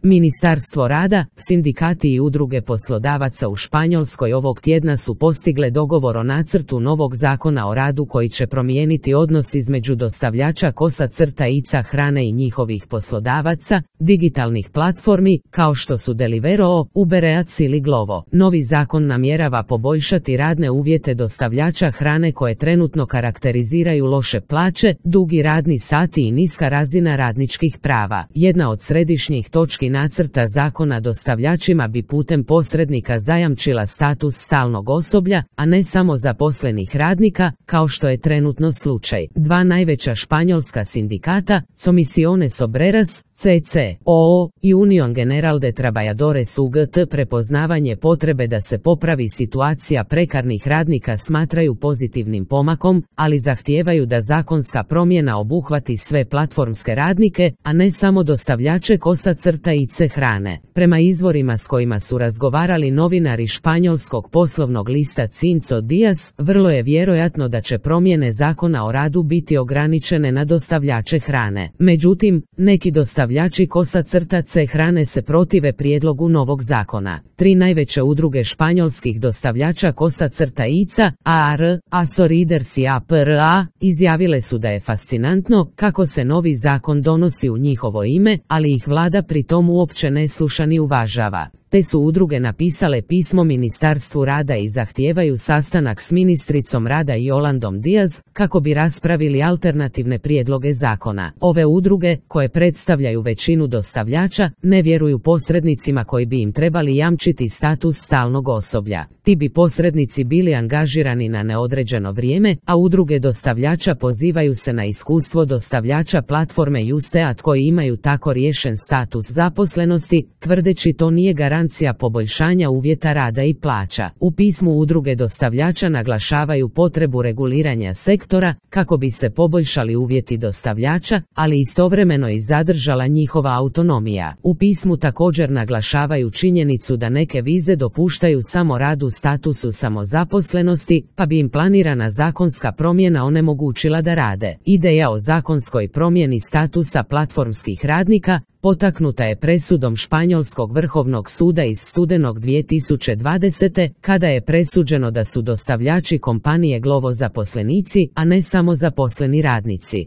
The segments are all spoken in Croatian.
Ministarstvo rada, sindikati i udruge poslodavaca u Španjolskoj ovog tjedna su postigle dogovor o nacrtu novog zakona o radu koji će promijeniti odnos između dostavljača kosa-ica hrane i njihovih poslodavaca, digitalnih platformi, kao što su Deliveroo, Uber Eats ili Glovo. Novi zakon namjerava poboljšati radne uvjete dostavljača hrane koje trenutno karakteriziraju loše plaće, dugi radni sati i niska razina radničkih prava. Jedna od središnjih točki nacrta zakona dostavljačima bi putem posrednika zajamčila status stalnog osoblja, a ne samo zaposlenih radnika, kao što je trenutno slučaj. Dva najveća španjolska sindikata, Comisiones Obreras, CCOO i Unión General de Trabajadores UGT, prepoznavanje potrebe da se popravi situacija prekarnih radnika smatraju pozitivnim pomakom, ali zahtijevaju da zakonska promjena obuhvati sve platformske radnike, a ne samo dostavljače kosa-ice hrane. Prema izvorima s kojima su razgovarali novinari španjolskog poslovnog lista Cinco Días, vrlo je vjerojatno da će promjene zakona o radu biti ograničene na dostavljače hrane. Međutim, neki dostavljači kosa-ice hrane se protive prijedlogu novog zakona. Tri najveće udruge španjolskih dostavljača kosa-ica, AAR, ASORIDERS i APRA, izjavile su da je fascinantno kako se novi zakon donosi u njihovo ime, ali ih vlada pri tom uopće ne sluša ni uvažava. Te su udruge napisale pismo Ministarstvu rada i zahtijevaju sastanak s ministricom rada Yolandom Díaz kako bi raspravili alternativne prijedloge zakona. Ove udruge, koje predstavljaju većinu dostavljača, ne vjeruju posrednicima koji bi im trebali jamčiti status stalnog osoblja. Ti bi posrednici bili angažirani na neodređeno vrijeme, a udruge dostavljača pozivaju se na iskustvo dostavljača platforme Justeat koji imaju tako riješen status zaposlenosti, tvrdeći to nije garancija poboljšanja uvjeta rada i plaća. U pismu udruge dostavljača naglašavaju potrebu reguliranja sektora kako bi se poboljšali uvjeti dostavljača, ali istovremeno i zadržala njihova autonomija. U pismu također naglašavaju činjenicu da neke vize dopuštaju samo rad u statusu samozaposlenosti, pa bi im planirana zakonska promjena onemogućila da rade. Ideja o zakonskoj promjeni statusa platformskih radnika potaknuta je presudom Španjolskog vrhovnog suda iz studenog 2020. kada je presuđeno da su dostavljači kompanije Glovo zaposlenici, a ne samo zaposleni radnici.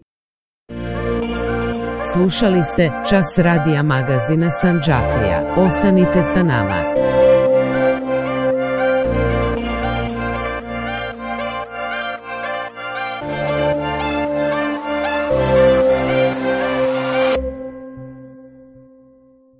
Slušali ste Čas radija magazina Sandžaklija. Ostanite sa nama.